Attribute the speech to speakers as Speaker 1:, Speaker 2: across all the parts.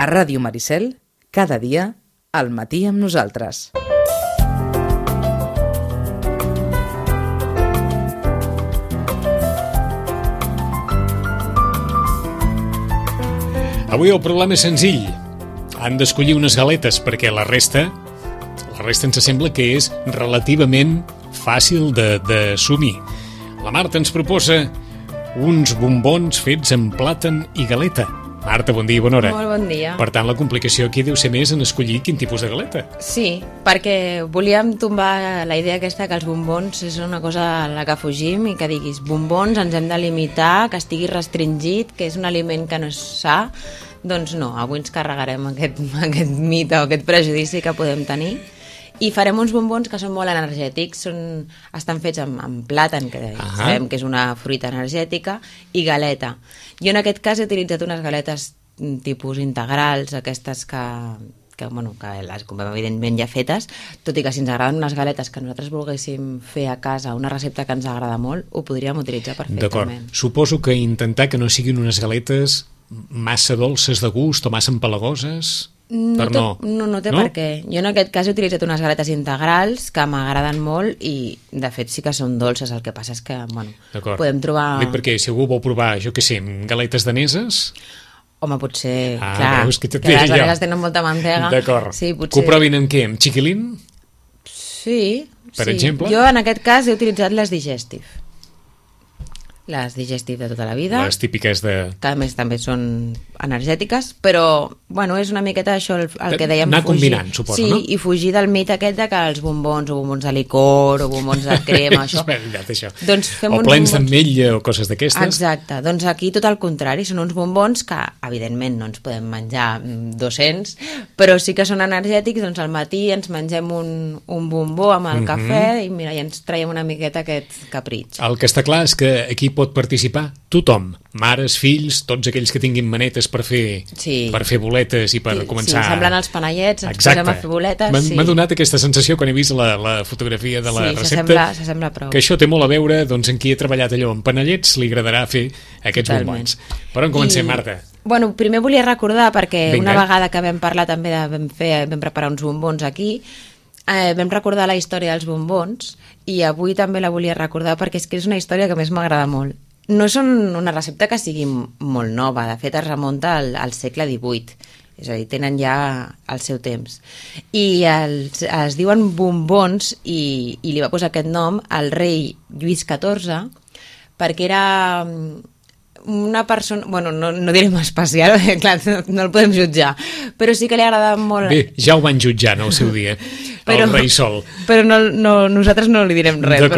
Speaker 1: A Ràdio Maricel, cada dia, al matí amb nosaltres.
Speaker 2: Avui el problema és senzill. Han d'escollir unes galetes perquè la resta ens sembla que és relativament fàcil d'assumir. La Marta ens proposa uns bombons fets amb plàtan i galeta. Marta, bon dia i bona hora.
Speaker 3: Molt bon dia.
Speaker 2: Per tant, la complicació aquí deu ser més en escollir quin tipus de galeta.
Speaker 3: Sí, perquè volíem tombar la idea aquesta que els bombons és una cosa a la que fugim i que diguis bombons ens hem de limitar, que estigui restringit, que és un aliment que no és sa. Doncs no, avui ens carregarem aquest mite o aquest prejudici que podem tenir i farem uns bombons que són molt energètics, estan fets amb plàtan, que sabem que és una fruita energètica, i galeta. Jo en aquest cas he utilitzat unes galetes tipus integrals, aquestes que les comprem evidentment ja fetes, tot i que si ens agraden unes galetes que nosaltres volguéssim fer a casa, una recepta que ens agrada molt, ho podríem utilitzar perfectament.
Speaker 2: D'acord. Suposo que intentar que no siguin unes galetes massa dolces de gust o massa empalagoses...
Speaker 3: No té per què. Jo en aquest cas he utilitzat unes galetes integrals que m'agraden molt i de fet sí que són dolces, el que passa és que podem trobar...
Speaker 2: Dic perquè si algú vol provar, jo què sé, galetes daneses...
Speaker 3: Home, potser, clar,
Speaker 2: veus, que
Speaker 3: les daneses tenen molta mantega.
Speaker 2: D'acord.
Speaker 3: Sí, potser...
Speaker 2: Que ho provin amb què? Amb xiquilín?
Speaker 3: Sí.
Speaker 2: Per exemple?
Speaker 3: Jo en aquest cas he utilitzat les Digestive. Les Digestive de tota la vida.
Speaker 2: Les típiques de...
Speaker 3: Que a més també són energètiques, però, bueno, és una miqueta això el que dèiem,
Speaker 2: anar
Speaker 3: fugir.
Speaker 2: Combinant, suposo,
Speaker 3: sí,
Speaker 2: no?
Speaker 3: I fugir del mite aquest de que els bombons, o bombons de licor, o bombons de crema, això.
Speaker 2: És veritat, això.
Speaker 3: Doncs fem
Speaker 2: o plens d'ametlla o coses d'aquestes.
Speaker 3: Exacte, doncs aquí tot el contrari, són uns bombons que, evidentment, no ens podem menjar 200, però sí que són energètics, doncs al matí ens mengem un bombó amb el cafè i mira, ja ens traiem una miqueta aquest capritx.
Speaker 2: El que està clar és que aquí pot participar tothom, mares, fills, tots aquells que tinguin manetes per fer boletes i per començar...
Speaker 3: Sí, semblant als panellets, ens posem a fer boletes.
Speaker 2: M'ha donat aquesta sensació quan he vist la fotografia de la recepta,
Speaker 3: s'assembla prou.
Speaker 2: Que això té molt a veure, doncs, en qui ha treballat allò amb panellets, li agradarà fer aquests bombons. Per on comencem, Marta?
Speaker 3: Bueno, primer volia recordar, perquè una vegada que vam parlar també vam preparar uns bombons aquí, vam recordar la història dels bombons i avui també la volia recordar perquè és que és una història que més m'agrada molt. No és una recepta que sigui molt nova, de fet es remunta al segle XVIII, és a dir, tenen ja el seu temps. I es diuen bombons i li va posar aquest nom al rei Lluís XIV perquè era una persona, bueno, no direm especial, clar, no el podem jutjar, però sí que li agradava molt...
Speaker 2: Bé, ja ho van jutjar en el seu dia, el rei Sol.
Speaker 3: Però nosaltres no li direm res,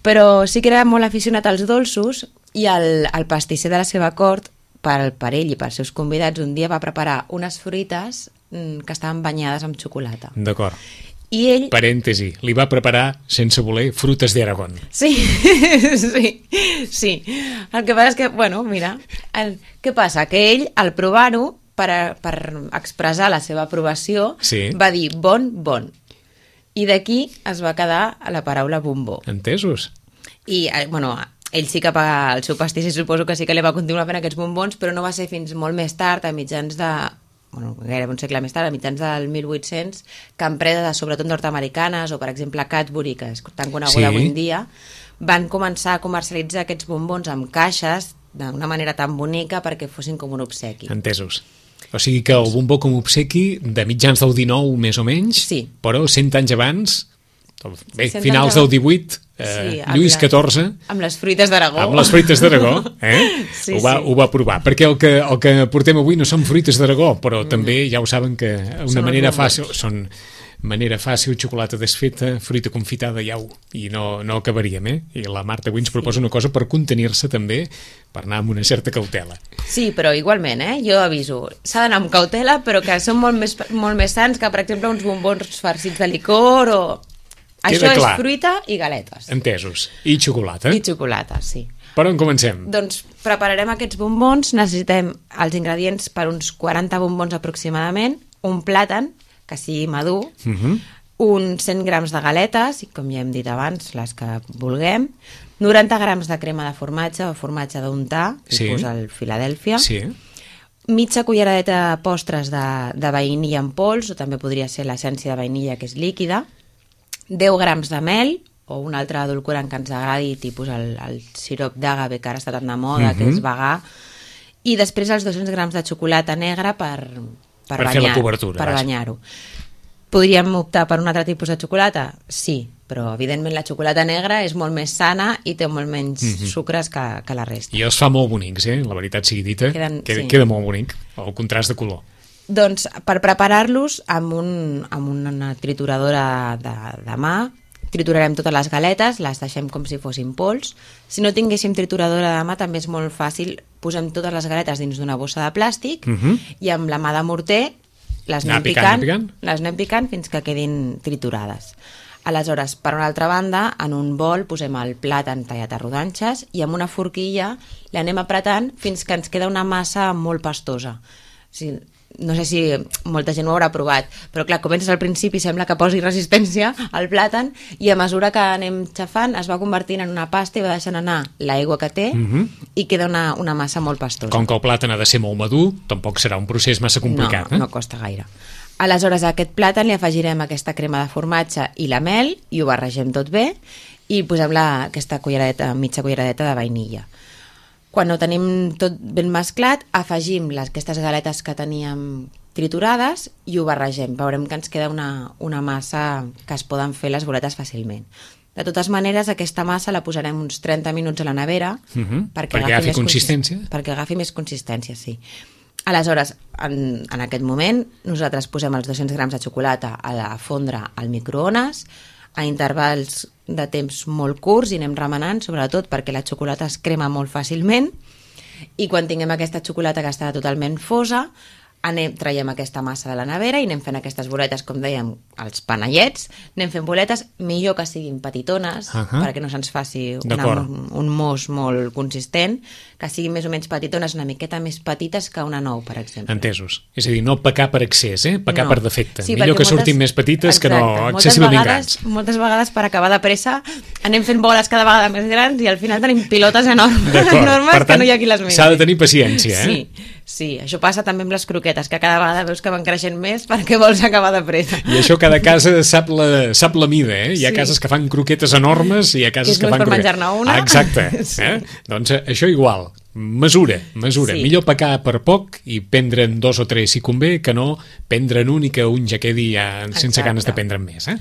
Speaker 3: però sí que era molt aficionat als dolços i el pastisser de la seva cort, per ell i pels seus convidats, un dia va preparar unes fruites que estaven banyades amb xocolata.
Speaker 2: D'acord.
Speaker 3: I ell...
Speaker 2: Parèntesi, li va preparar, sense voler, frutes d'Aragón.
Speaker 3: Sí. El que passa és que, bueno, mira, què passa? Que ell, al provar-ho, per expressar la seva aprovació, va dir bon. I d'aquí es va quedar la paraula bombó.
Speaker 2: Entesos.
Speaker 3: I, bueno, ell sí que el seu pastisser suposo que sí que li va continuar fent aquests bombons, però no va ser fins molt més tard, a mitjans de... gairebé un segle més tard, a mitjans del 1800, que empreses, sobretot nord-americanes, o per exemple Cadbury, que és tan coneguda avui en dia, van començar a comercialitzar aquests bombons amb caixes d'una manera tan bonica perquè fossin com un obsequi.
Speaker 2: Entesos. O sigui que el bombó com a obsequi de mitjans del 19 més o menys, però 100 anys abans, bé, finals del 18, Lluís XIV...
Speaker 3: Amb les fruites d'Aragó.
Speaker 2: Amb les fruites d'Aragó, ho va provar. Perquè el que portem avui no són fruites d'Aragó, però també ja ho saben que una manera fàcil... Són manera fàcil, xocolata desfeta, fruita confitada, i no acabaríem, I la Marta avui ens proposa una cosa per contenir-se també, per anar amb una certa cautela.
Speaker 3: Sí, però igualment, jo aviso, s'ha d'anar amb cautela, però que són molt més sants que, per exemple, uns bombons farcits de licor o... Això és fruita i galetes.
Speaker 2: Entesos. I xocolata.
Speaker 3: I xocolata, sí.
Speaker 2: Per on comencem?
Speaker 3: Doncs prepararem aquests bombons, necessitem els ingredients per uns 40 bombons aproximadament, un plàtan, que sigui madur, uns 100 grams de galetes, com ja hem dit abans, les que vulguem, 90 grams de crema de formatge o formatge d'untar, tipus el Filadèlfia, mitja culleradeta de postres de vainilla en pols, o també podria ser l'essència de vainilla, que és líquida, 10 grams de mel, o un altre edulcorant que ens agradi, tipus el sirop d'àgave, que ara està tan de moda, que és vegà, i després els 200 grams de xocolata negra per
Speaker 2: fer la cobertura.
Speaker 3: Per banyar-ho. Podríem optar per un altre tipus de xocolata? Sí, però evidentment la xocolata negra és molt més sana i té molt menys sucres que la resta.
Speaker 2: I els fa molt bonics, la veritat sigui dita. Queda molt bonic, el contrast de color.
Speaker 3: Doncs per preparar-los amb una trituradora de mà, triturarem totes les galetes, les deixem com si fossin pols. Si no tinguéssim trituradora de mà també és molt fàcil, posem totes les galetes dins d'una bossa de plàstic i amb la mà de morter les anem picant fins que quedin triturades. Aleshores, per una altra banda, en un bol posem el plàtan tallat a rodanxes i amb una forquilla l'anem apretant fins que ens queda una massa molt pastosa. No sé si molta gent ho haurà provat, però clar, comences al principi, sembla que posi resistència al plàtan i a mesura que anem xafant es va convertint en una pasta i va deixant anar l'aigua que té i queda una massa molt pastosa.
Speaker 2: Com que el plàtan ha de ser molt madur, tampoc serà un procés massa complicat.
Speaker 3: No costa gaire. Aleshores, a aquest plàtan li afegirem aquesta crema de formatge i la mel i ho barregem tot bé i posem aquesta mitja culleradeta de vainilla. Quan ho tenim tot ben mesclat, afegim aquestes galetes que teníem triturades i ho barregem. Veurem que ens queda una massa que es poden fer les boletes fàcilment. De totes maneres, aquesta massa la posarem uns 30 minuts a la nevera
Speaker 2: perquè agafi consistència.
Speaker 3: Perquè agafi més consistència, sí. Aleshores, en aquest moment, nosaltres posem els 200 grams de xocolata a fondre al microones, a intervals de temps molt curts i anem remenant, sobretot perquè la xocolata es crema molt fàcilment i quan tinguem aquesta xocolata que està totalment fosa, traiem aquesta massa de la nevera i anem fent aquestes boletes, com dèiem, els panellets, anem fent boletes, millor que siguin petitones, perquè no se'ns faci un mos molt consistent, que siguin més o menys petitones, una miqueta més petites que una nou, per exemple.
Speaker 2: Entesos. És a dir, no pecar per excés, pecar per defecte. Sí, millor que surtin més petites que no excessivament grans.
Speaker 3: Moltes vegades, per acabar de pressa, anem fent boles cada vegada més grans i al final tenim pilotes enormes que no hi ha qui les miri.
Speaker 2: S'ha de tenir paciència,
Speaker 3: Sí, això passa també amb les croquetes, que cada vegada veus que van creixent més perquè vols acabar de pressa.
Speaker 2: I això cada casa sap la mida, Hi ha cases que fan croquetes enormes i hi ha cases que fan
Speaker 3: croquetes. Que és per menjar-ne una.
Speaker 2: Exacte. Doncs això igual. Mesura. Sí. Millor pecar per poc i prendre'n 2 o 3 si convé, que no prendre'n un i que un ja quedi sense ganes de prendre'n més,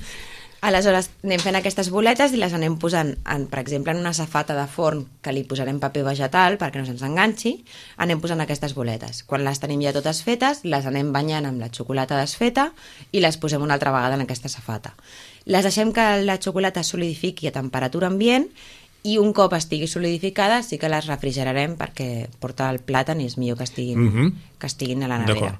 Speaker 3: Aleshores, anem fent aquestes boletes i les anem posant, per exemple, en una safata de forn que li posarem paper vegetal perquè no se'ns enganxi, anem posant aquestes boletes. Quan les tenim ja totes fetes, les anem banyant amb la xocolata desfeta i les posem una altra vegada en aquesta safata. Les deixem que la xocolata solidifiqui a temperatura ambient i un cop estigui solidificada sí que les refrigerarem perquè porta el plàtan i és millor que estiguin a la nevera.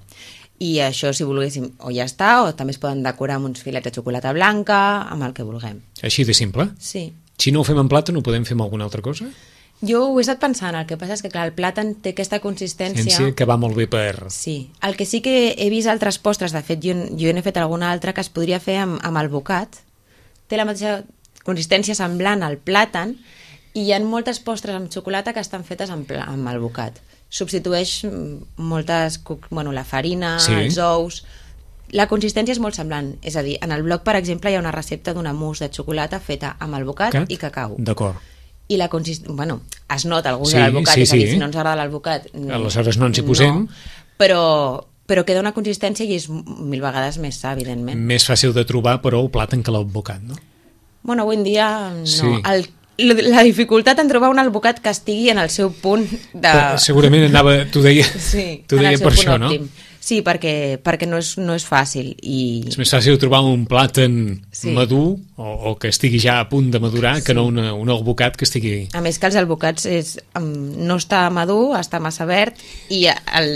Speaker 3: I això, si volguéssim, o ja està, o també es poden decorar amb uns filets de xocolata blanca, amb el que vulguem.
Speaker 2: Així de simple?
Speaker 3: Sí.
Speaker 2: Si no ho fem en plàtan, ho podem fer amb alguna altra cosa?
Speaker 3: Jo ho he estat pensant, el que passa és que, clar, el plàtan té aquesta consistència...
Speaker 2: Que va molt bé per...
Speaker 3: Sí. El que sí que he vist altres postres, de fet, jo n'he fet alguna altra que es podria fer amb alvocat. Té la mateixa consistència semblant al plàtan i hi ha moltes postres amb xocolata que estan fetes amb alvocat. Substitueix la farina, els ous... La consistència és molt semblant. És a dir, en el blog, per exemple, hi ha una recepta d'una mousse de xocolata feta amb alvocat i cacau.
Speaker 2: D'acord.
Speaker 3: I la consistència... es nota el gust de l'alvocat, és a dir, si no ens agrada l'alvocat...
Speaker 2: Aleshores no ens hi posem.
Speaker 3: Però queda una consistència i és 1000 vegades més sa, evidentment.
Speaker 2: Més fàcil de trobar, però, el plàtan que l'alvocat, no?
Speaker 3: Bueno, avui en dia no. Sí. La dificultat en trobar un alvocat que estigui en el seu punt de...
Speaker 2: Segurament t'ho deia per això, no?
Speaker 3: Sí, perquè no és fàcil.
Speaker 2: És més fàcil trobar un plàtan madur o que estigui ja a punt de madurar que no un alvocat que estigui...
Speaker 3: A més que els alvocats no està madur, està massa verd i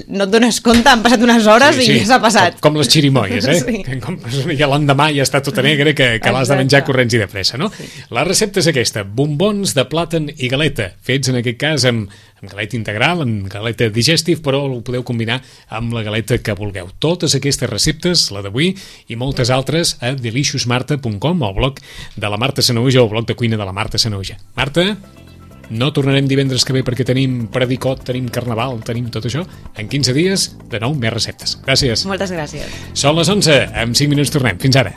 Speaker 3: no et dones compte, han passat unes hores i ja s'ha passat.
Speaker 2: Com les xirimoies, ja l'endemà ja està tota negra que l'has de menjar corrents i de pressa, no? La recepta és aquesta, bombons de plàtan i galeta, fets en aquest cas amb galeta integral, amb galeta digestive, però ho podeu combinar amb la galeta que vulgueu. Totes aquestes receptes, la d'avui i moltes altres, a deliciousmarta.com, al blog de la Marta Sanahuja o al blog de cuina de la Marta Sanahuja. Marta? No tornarem divendres que ve perquè tenim predicot, tenim carnaval, tenim tot això. En 15 dies, de nou, més receptes. Gràcies.
Speaker 3: Moltes gràcies.
Speaker 2: Són les 11, en 5 minuts tornem. Fins ara.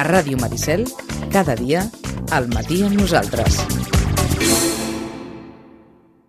Speaker 1: A Ràdio Maricel, cada dia, al matí amb nosaltres.